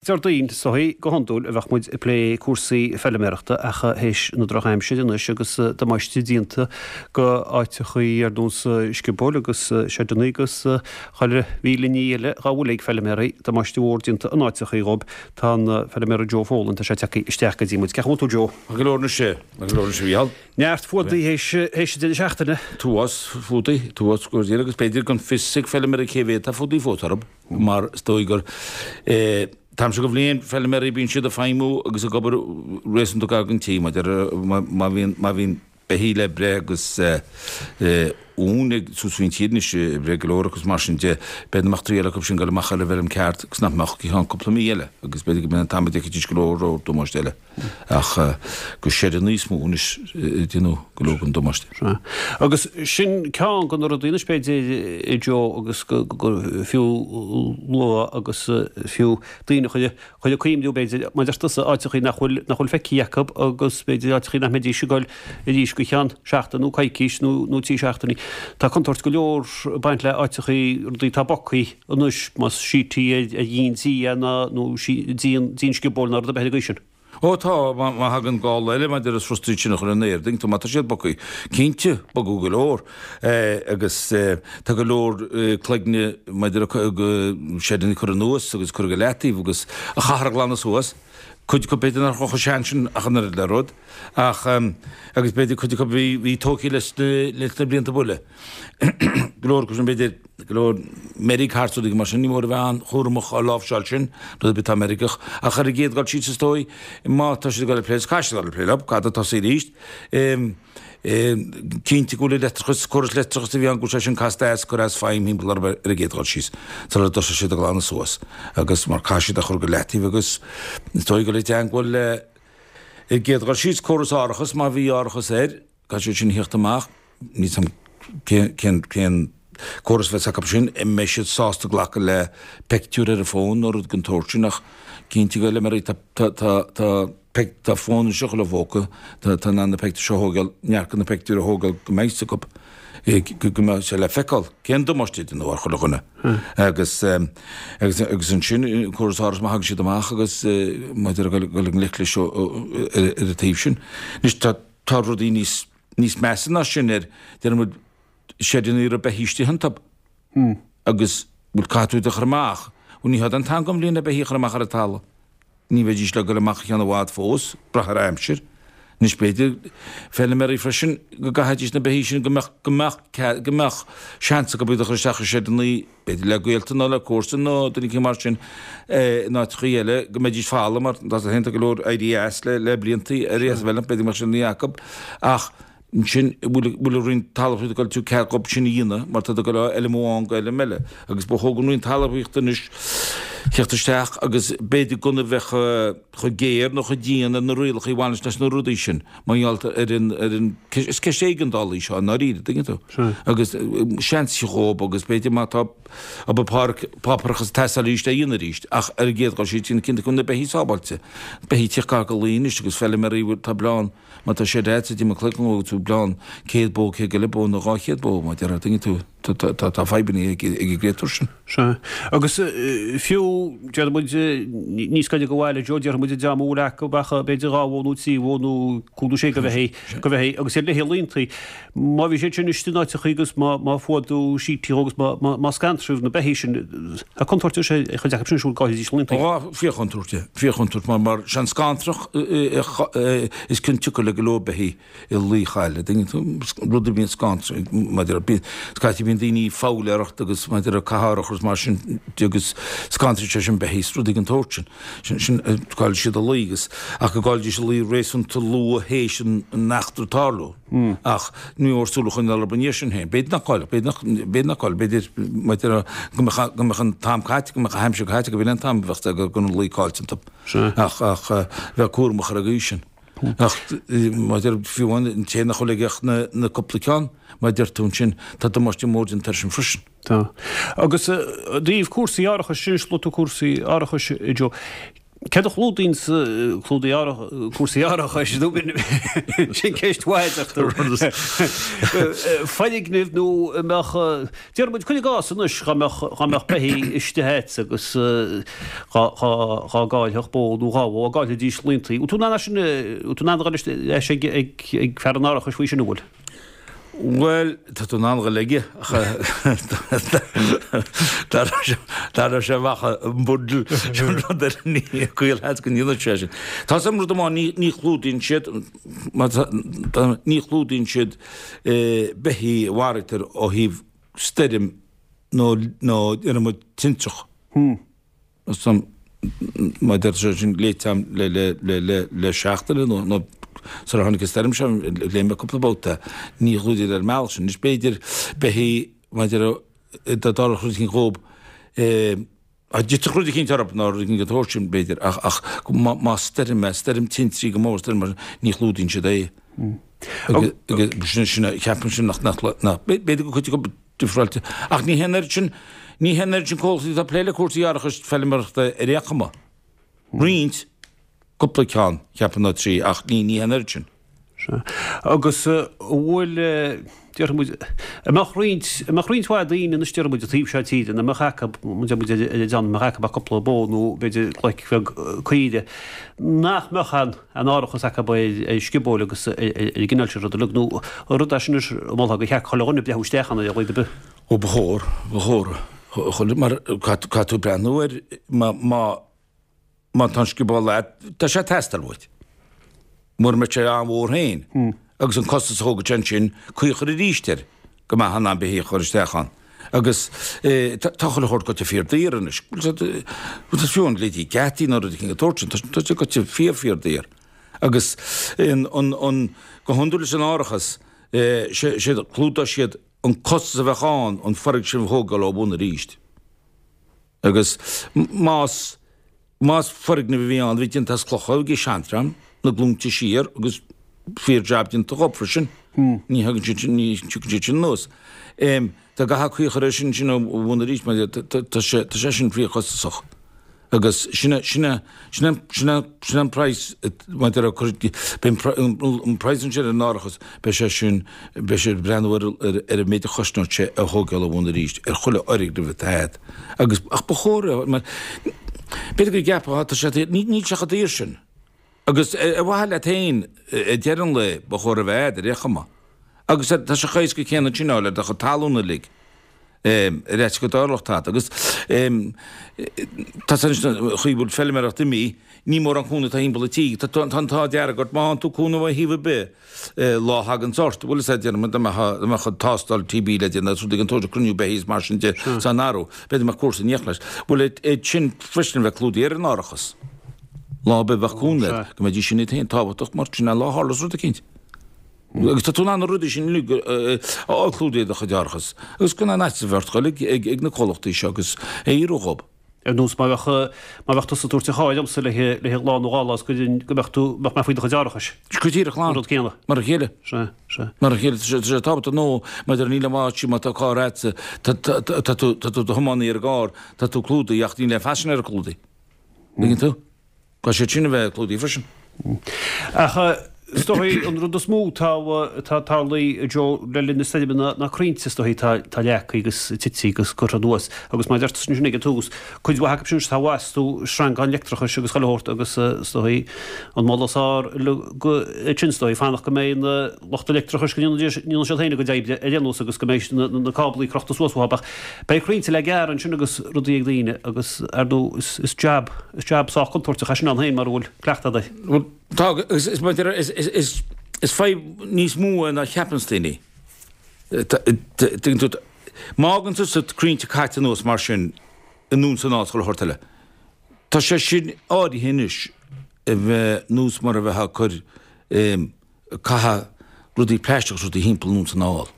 Déardaoin soithí, go hiondúil a bheadh muid ag plé cúrsaí feiliméarachta ach théis na drochaimsire anois agus damáiste déanta go áiteachaí ar nós sciobóil agus seideannaí agus chuile mhíle ní eile dhá bhfuil ag feiliméaraí, damáiste mhór déanta in áiteachaí dhób. Tá an feiliméara Joe Folan, tá sé tagtha isteach go dtí muid. Cén chaoi a bhfuil tú Joe? Maith go leor anois, maith go leor anois a Mhícheál. Neart fuadaí théis an deireadh seachtaine. T-uafás fuadaí, t-uafás go dtí agus b'fhéidir gan fios ag feiliméaraí cé mhéad tá fuadaí fós orthu. mar is dóigh gur t-am seo de bhliain, feilméaraí, bíonn siad ag feidhmiú agus ag obair réasúnta gar don tí, maidir má bhíonn, má bhíonn beithígh le breith agus uain ag suas faoin tír anois ag breith go leor agus mar sin de, b'fhéidir nach mbeadh triail acu sin dul amach ar an bhfeirm ceart agus nach mbeadh go ceann cúpla mí eile agus b'fhéidir go mbeadh an t-am a d'fheicfidís go leor leor damáiste eile. Ach gur seideanna is mó anois a déanadh go leor den damáiste. Sea. Agus sin ceann de na rudaí anois b'fhéidir, a Joe, agus gur fiú lua agus fiú daoine a chur ag cuimhniú b'fhéidir, mar a deir tusa, áiteachaí nach bhfuil, nach bhfuil feicthe acu agus b'fhéidir áiteachaí nach mbeidís ag dul arís go ceann seachtain nó coicís nó nó trí seachtainí. Tá contúirt go leor ag baint le áiteachaí, rudaí atá bogthaí anois, más síotí ar dhíon tí é nó díon díon sciobóil nó rud ar bith ar an gcaoi sin. Ó tá, má thagann gála eile maidir leis rudaí sin a chur in airde, má tá siad bogthaí, cinnte, bogadh go leor. Agus tá go leor cloigne maidir le seideanna a chur anuas agus cur go leataobh agus a chaithfear a ghlanadh suas. Cuid acu b'fhéidir nach raibh chomh sean sin ach an oiread le rud, ach agus b'fhéidir cuid acu bhí bhí tógtha leis na leis na blianta buile. Go leor acu sin b'fhéidir go leor meirg thart rudaí mar sin, ní mór a bheith an-chúramach á láimhseáil sin, rud ar bith atá meirgeach. Ach ar an gcéad dul síos is dóigh, má tá siad ag dul ag plé, caithfidh siad dul ag plé leo, caithfidh tosaí arís. Cinnte go bhfuil an leictreachas, córas leictreachais a bhí ann, go bhfuil sé sin casta as, curtha as feidhm thimpeall orthu ar an gcéad dhul síos, sula dtosóidh siad ag glanadh suas. Agus mar caithfidh siad a chur go leataobh agus is dóigh go bhfuil i dteangmháil le, ar an gcéad dhul síos, córas árachas, má bhí árachas air, caithfidh siad sin a theacht amach, níl 's a'm cén, cén, cén córas a bheas acu sin, an mbeidh siad sásta glacadh le peictiúr ar an bhfón nó rud den tsórt sin ach cinnte go bhfuil, tá, tá, tá, tá. Tá fón anois i chuile phóca, tá in ann na peictiúir seo a thógáil, neart de na peictiúir a thógáil go mbeidh 's acu, go mbeidh sé le feiceáil cén damáiste a déanadh ar chuile dhuine. Agus, agus, agus ansin, córas árachais má thagann siad amach agus maidir le dul i ngleic leis ar an taobh sin. Anois tá, tá rudaí níos, níos measa ná sin ar, déarfaidh muid, seideanna a raibh beithígh istigh iontu agus, bhuel, caithfidh tú iad a chur amach. Bhuel, ní hé an t-am den bhliain le beithígh a chur amach ar an talamh. Ní bheidís le goil amach go ceann i bhfad fós, brath ar aimsir. Anois b'fhéidir, feilméaraí freisin, go gcaithfidís na beithígh sin go mbeadh, go mbeadh cead, go mbeadh seans acu iad a chur isteach i seideanna, b'fhéidir le gaolta nó le comharsain nó duine éicint mar sin, in áiteachaí eile, go mbeidís folamh mar tá sé go leor éirí as le, le bliantaí, éirí as an bhfeilm, b'fhéidir go mbeadh seideanna acu. Ach ansin, bhfuil, bhfuil an Roinn Talmhaíochta ag goil tabhairt cead dhób sin a dhéanamh mar tá ag goil ó fheilm amháin go fheilm eile. Agus ba chóir don Roinn Talmhaíochta anois theacht isteach agus b'fhéidir gan a bheith chomh géar nó chomh dian ar na rialacha a bhaineas leis na rudaí sin mar gheall ar an, ar an, is ceist éigeandála í seo i ndáiríre, tuigeann tú. Agus seans dhób agus b'fhéidir má tá obair páirc, páipéarachas ag teastáil arís é a dhéanamh arís ach ar an gcéad dhul síos déanamh cinnte go bhfuil na beithígh sábháilte. Beithígh ag tíocht gar do lao anois agus feilméaraí tá bleán Má tá sé agat i do chloigeann agus tú bleán 100 bó, 100 go leith bó nó 200 bó, mar a déarfá, tuigeann tú, tá fadhbanna ag an gcréatúr sin. Sea. Agus fiú, déarfaidh muid, níos gaire do bhaile, Joe, déarfaidh muid dá mba bhfuil acu ach b'fhéidir dhá bhó nó trí bhó nó cúig nó sé go bheithígh, go bheithígh, agus iad léithe laontaí. Má bhí siad sin istigh in áiteachaí agus má, má fuadú sítí agus má, má, má scantraíodh na beithígh sin, tá contúirt ar sé, chuid acu sin siúl go gcaillfidís laontaí. Ó, fíorchontúirt é, fíorchontúirt, mar, mar sé an scantrach is cionsiocair le go leor beithígh i lao a chailleadh, tuigeann tú, rud a bhíonn scantrach, maidir le, bíonn, scaití bíonn daoine ag foghlaeireacht agus maidir le cathárach agus mar sin de agus scantraíonn sé sin beithígh, is rudaí den tsórt sin. Sin, sin, caillfidh siad a lao agus, ach go gcaillfidís a lao réasúnta luath théis an, an eachtra tarlú. Ach ní mór súil a choinneáil orthu ina dhiaidh sin féin. B'fhéidir nach gcaillfeadh, b'fhéidir nach, b'fhéidir nach gcaillfeadh, b'fhéidir, maidir le, go mbeadh, go mbeadh an t-am caite, go mbeadh an aimsir caite, go b'in an t-am a bheadh go raibh an lao caillte iontu. Ach, ach, bheith cúramach ar an gcaoi sin. Ach, maidir, fiú amháin an té nach bhfuil aige ach na, na cúpla ceann, mar a deir tú ansin, tá damáiste mór déanta air sin freisin. Tá. Agus i dtaobh cúrsaí árachais, sin luaigh tú cúrsaí árachais, a Joe. Céard a chlúdaíonn clúdaigh cúrsaí árachais nó sin ceist mhaith a deir tú. Foirgnimh nó an mbeadh, déarfaidh muid, cuir i gcás anois dá mbeadh dá mbeadh beithígh istigh agat agus dhá dhá gcaillfeadh bó nó dhá bhó, dá gcaillfidís laontaí. Bhfuil tú in ann é sin, bhfuil tú in ann a dhul leis ag ag fear an árachais faoi sin an bhfuil? Bhuel, tá tú in ann dhul aige ach tarraingeoidh sé amach an bundle sin rud ar an gcaol go ndéanfaidh sé sin. Tá 's agam rud amháin, ní chlúdaíonn siad, ní chlúdaíonn siad beithígh a mharaítear ó thaobh stoirm nó nó déarfaidh muid tintreach. Mar deir sé sin léite agam le seachtain nó nó sar a tháinig an stoirm seo léigh mé cúpla babhta ní chlúdaítear ar an mbealach sin. Anois b'fhéidir beithígh maidir dá dtarlódh rud eicínt dhób dá dtitfeadh rud eicínt orthu nó rud eicínt den tsórt sin b'fhéidir ach ach má stoirm é stoirm tintrí go mór stoirm mar ní chlúdaíonn siad é. Agus sin sin ceapaim sin nach nach nach b'fhéidir go cuid acu difreáilte. Ach ní hé an oiread sin, ní hé an oiread sin comhlachtaí atá ag plé le cúrsaí árachais feilméarachta ar aon chuma. Roinnt, cúpla ceann, cheapfainn nó 3, ach ní, ní hé an oiread sin. Sea. Agus an bhfuil, déarfaidh muid, an mbeadh roinnt, an mbeadh roinnt mhaith daoine anois, déarfaidh muid, an taobh seo tíre, nach mbeadh acu, deir muid ar an dteann, mbeadh acu ach cúpla bó nó b'fhéidir glaic bheag caoire, nach mbeadh an, an árachas acu ar sciobóil agus ar an gcineál sin ruda uilig, nó an rud é sin anois a mholfá gur cheart chuile dhuine breathnú isteach ann ar a laghad ar bith. Ó ba chóir, ba chóir, chuile, mar caithfidh tú breathnú air má, má, má tá an scioból agat, tá sé ag teastáil uait. Mura mbeadh sé an-mhór féin agus an costas a thógfadh sé ansin, caoi a chur arís air go mbeadh in ann beithíoch a chur isteach ann. Agus tá chuile shórt goite fíor daor anois. Bhuel fiú an leithéidí geataí nó rud éicint den tsórt sin, tá sé goite fíor fíor daor. Agus an, an, go hiondúil leis an árachas, sé, clúdóidh siad an costas a bheadh ann an foirgneamh a thógáil ó bhun arís. Agus más, más foirgneamh a bhí ann a bhí déanta as clocha ag an seandream na glúnta siar agus fíor jab déanta dhób freisin, ní thagann siad sin, ní thiocfaidh siad sin anuas. Dá gcaithfeá caoi a chur air sin sin ó bhun arís mar tá sé, tá sé sin fíorchostasach. Agus sin é, sin é, sin é, sin é, sin é an praghas maidir le cur, beidh an praghas ansin ar an árachas, beidh sé sin, beidh sé ag breathnú ar, ar, ar an méid a chosnóidh sé a thógáil ó bhun arís, ar chuile fhoirgneamh atá agat. Agus, ach ba chóir é, mar, b'fhéidir go gceapfá, tá sé, ní, níl sé chomh daor sin. Agus ar mhaithe leat féin, ag deireadh an lae, ba chóir a bheith agat ar aon chuma. Agus tá sé chomh héasca céanna sin a fháil ar do chuid talún uilig. Ar fhaitíos go dtarlódh tada. Agus tá sé anois an chaoi a bhfuil feilméaracht imithe, ní mórán cúnamh atá thimpeall an tí. Tá an t-ádh dearg ort má fhaigheann tú cúnamh ó thaobh ar bith lá a thaganns ort. Bhuel is é déarfaidh muid dá mbeadh tástáil TB le déanamh agus rudaí den tsórt cruinniú beithígh is mar sin de san athrú. B'fhéidir go mbeadh cúrsa in éineacht leis. Bhuel é sin freisin a bheith clúdaithe ar an árachas. Lá ar bith a bheadh cúnamh agat go mbeidís sin iad féin tábhachtach mar sin lá a tharlós rud eicínt. Agus tá tú in ann na rudaí sin uilig a fháil clúdaithe i do chuid árachas agus gan aon fhaitíos a bheith ort dul ag na comhlachtaí seo agus é a fhiafraí dhób. Ar nós má bheadh, má bheadh tusa ag tabhairt an chairr dhomsa le haghaidh lá nó dhá lá is go mbeadh tú, mbeadh mé faoi do chuid árachais. Go díreach, An rud céanna. Mar a chéile. Sea, sea. Mar a chéile, tá sé tábhachtach nó maidir níl aon mhaith má tá carr agatsa, tá tú, tá tú i do thiománaí ar an gcarr, tá tú clúdaithe ach níl aon phaisinéir clúdaithe. Tuigeann tú? Caithfidh siad sin a bheith clúdaithe freisin. Ach is dóigh an rud is mó atá atá tarlaithe Joe le linn na stoirme ná na crainnte is dóigh atá atá leagtha agus tite agus curtha anuas agus mar a deir tusa ansin ag an tús cuid mhaith acu sin atá astu sreangáin leictreachais agus chuile shórt agus is dóigh an moladh is fearr go sin is dóigh fanacht go mbeidh na lucht leictreachais go ndéanfaidh siad féin a gcuid oibre ar aon nós agus go mbeidh na cáblaí crochta suas uathu ach Beidh crainnte le gearradh ansin agus rudaí ag daoine agus, ar ndóigh, is jab, is jab sách contúirteach é sin ann féin mura bhfuil cleachtadh agat air. Bhuel, tá, agus is, mar a deir, is, is, is fadhb níos mó é ná a cheapanns daoine. Tuigeann tú, má fhágann tusa crainnte caite anuas mar sin i nDún 's anall 's chuile shórt eile, tá sé sin áirithe anois a bheith nós mar a bheifeá ag cur, ag caitheamh rudaí plaisteach is rudaí thimpeall anonn 's anall.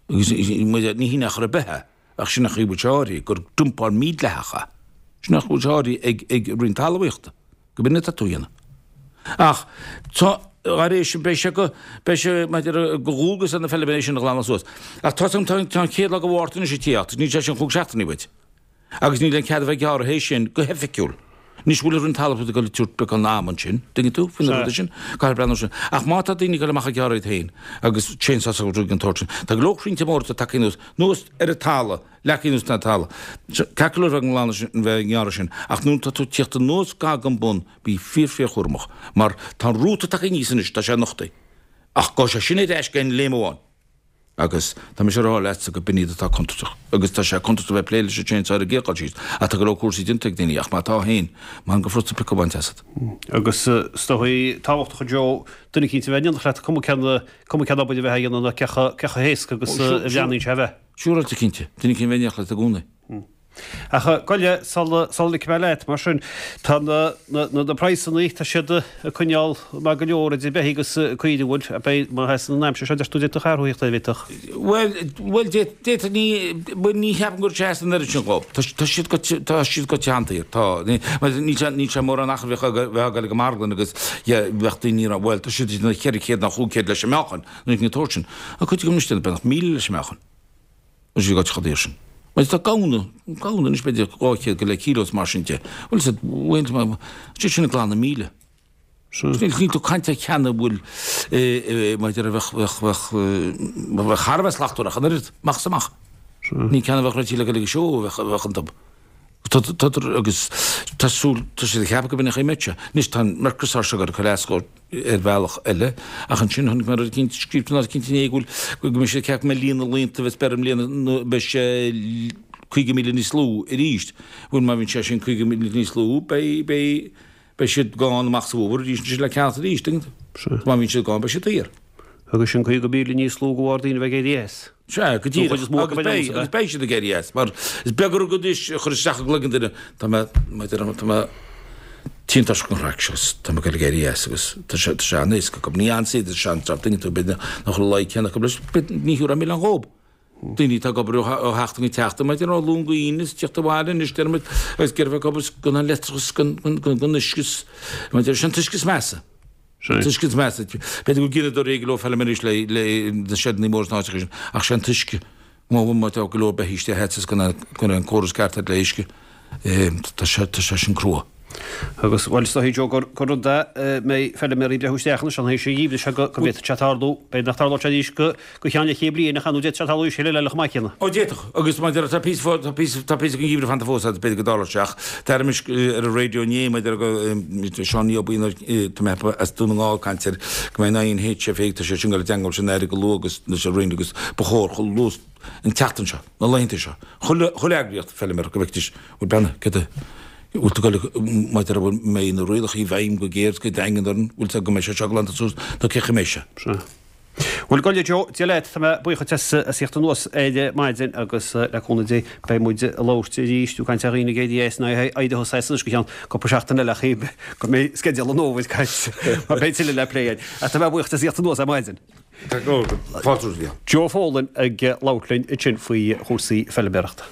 Agus ní hin ar chor ar bith é, ach sin an chaoi a bhfuil sé áirithe, gur dumpáil mhídhleathach é. Sin an chaoi a bhfuil sé áirithe ag Roinn Talmhaíochta, go b'in atá tú a dhéanamh. Ach tá, thar éis sin, beidh sé go, beidh sé maidir de dhualgas ar na feilméaraí sin a ghlanadh suas. Ach tá tá an chéad lá de Mhárta anois ag tíocht, níl sé sin chúig seachtainí uait. Agus níl aon cead a bheith ag gearradh théis sin go hoifigiúil. Anois bhfuil an Roinn Talmhaíochta ag dul ag tabhairt beagán ama ansin, dtuigeann tú, faoi na rudaí sin, caithfear breathnú sin. Ach má tá daoine ag dul amach ag gearradh iad féin agus chainsaws agus rudaí den tsórt sin, tá go leor crainnte móra atá tagtha anuas, anuas ar an talamh, leagtha anuas ar an talamh. Ceart go leor bheith ag glanadh sin, bheith ag gearradh sin, ach nuair atá tú ag tíocht anuas gar don bun, bí fíor fíor chúramach, mar tá an rúta tagtha aníos anois, tá sé nochtaithe. Ach gabhfaidh sé sin ar ais d'aon léim amháin. Agus tá mise a rá leatsa go b'in iad atá contúirteach. Agus tá sé contúirteach a bheith ag plé leis an chainsaw ar an gcéad dul síos. Ach tá go leor cúrsaí déanta ag daoine, ach má tá féin, mholfainn go furasta piocadh a bhaint asat. Agus is dóigh tábhachtach a Joe, duine eicínt a bheith in éineacht leat, cuma cén, cuma cén obair a bheith á dhéanamh nó cé chomh, cé chomh héasca agus a bhreathnaíonn sé a bheith. Siúráilte cinnte, duine eicínt a bheith in éineacht leat i gcónaí. Ach gabh i leith, sula ligfidh mé leat, mar sin, tá na na praghsanna, tá siad ag coinneáil maith go leor idir beithígh agus caoirigh, an bhfuil? Beidh, má sheasann an aimsir seo, deir tú, d'fhéadfadh athrú a theacht air, bhféadfadh? Bhuel, bhuel, d'fhéadfadh, ní, bhuel, ní cheapaim go raibh sé an oiread sin dhóibh. Tá, tá siad go, tá siad go teanntaithe, tá. Ní, mar níl sé, níl sé mórán achar bheadh, bheadh ag dul ag an marglann agus, yeah, bheadh daoine ag rá, bhuel, tá siad ag déanamh 400 nó 500 leis an meáchan, nó an tsórt sin. Ach cuid acu anois déanamh beagnach 1,000 leis an meáchan. Bhfuil siad ag chomh daor sin. Mar tá gamhna, gamhna anois b'fhéidir 200 go leith kíló is mar sin de. Bhfuil siad, bhfuil, siad sin ag glanadh 1,000. Níl, níl tú ag caint ar cheann a bhfuil, maidir a bheadh, bheadh, bheadh, bheadh thar a bheith slachtmhar ach an oiread, amach is amach. Ní ceann a bheadh réitithe le dul ag an seó a bheadh, a bheadh iontu. Tá, tá, agus tá súil, tá siad ag ceapadh go b'in an chaoi a mbeidh sé. Anois tá an Mercosur seo ag cur as dhó ar bhealach eile, ach ansin chonaic mé rud eicínt scríofa in áit eicínt inné go bhfuil, go mbeidh siad ag ceapadh go mbeidh líon na laethanta a bheas beir i mbliana nó beidh sé 50,000 níos lú arís. Bhuel má bhíonn sé sin 50,000 níos lú beidh, beidh, beidh siad gann amach sa bhfómhar arís ansin le ceannacht arís, tuigeann tú? Má bhíonn siad gann beidh siad daor. Agus sin 50,000 níos lú de bharr daoine a bheith ag éirí as. Sea, go díreach. Agus beidh, agus beidh siad ag éirí as, mar is beag an rud anois a chur isteach i gcloigeann duine, tá mé, mar a deirim, tá mé tinn tuirseach den chraic seo, tá mé ag dul ag éirí as agus tá sé, tá sé an-éasca acu. Ní an-saothar is ea an jab, tuigeann tú, b'fhéidir nach bhfuil a laghad céanna acu leis, b'fhéidir, ní thiúrfá milleán dhób. Daoine atá ag obair ó sheachtain go seachtain, mar a déarfá, ó Luan go hAoine is tíocht abhaile anois, deirimid, agus ag iarraidh bheith ag obair gan an leictreachas, gan, gan, gan, gan uisce, mar a déarfá, sé an t-uisce is measa. An t-uisce is measa. B'fhéidir go bhfuil gineadóirí ag go leor feilméaraí anois le, le, na seideanna móra sna háiteacha sin, ach sé an t-uisce. Má, má tá go leor beithígh istigh agat is gan an, gan an córas ceart agat le uisce, tá sé, tá sé sin crua. Agus, bhuel, is dóigh, Joe, gur, gur rud é, mbeidh feilméaraí ag breathnú isteach anois an théis an gheimhridh seo go, go bhféadfadh sé tarlú, b'fhéidir nach dtarlódh sé arís go, go ceann leathchéad bliain ach ar ndóigh d'fhéadfadh sé tarlú arís eile eile chomh maith céanna. Ó d'fhéadfadh, agus mar a déarfá tá píosa tá píosa tá píosa den gheimhreadh fanta fós agus b'fhéidir go dtarlódh sé ach d'airigh mise ar an raidió inné maidir go Seán Ní Obaoin tá mé as Dún na nGall ag caint ar go mbeidh an INHFA tá sé sin ag dul i dteangmháil leis an Aire go luath agus leis an Roinn agus ba chóir chomh luath an tseachtain seo, na laethanta seo, chuile chuile eagraíocht feilméara go bhfeicfidís bhuel beanna cad a bhfuil tú ag dul maidir a bhfuil mbeidh na rialacha i bhfeidhm go géar is go daingean orainn bhfuil tú go mbeidh sé seo glanta suas nó cé chaoi mbeidh sé. Sea. Bhuel, gabh i leith Joe, Dia leat, tá mé buíoch duit as as theacht anuas ar maidin agus le cúnamh Dé beidh muid ag labhairt arís, tú ag caint ar dhaoine ag éirí as nó éirithe as anois go ceann cúpla seachtain eile ach go mbeidh sceideal an fhómhair caite mar beidh tuilleadh le plé againn. Ach tá mé buíoch duit as theacht anuas ar maidin. Tá go leor, fáilte romhat. Joe Folan ag labhairt linn ansin faoi chúrsaí feilméarachta.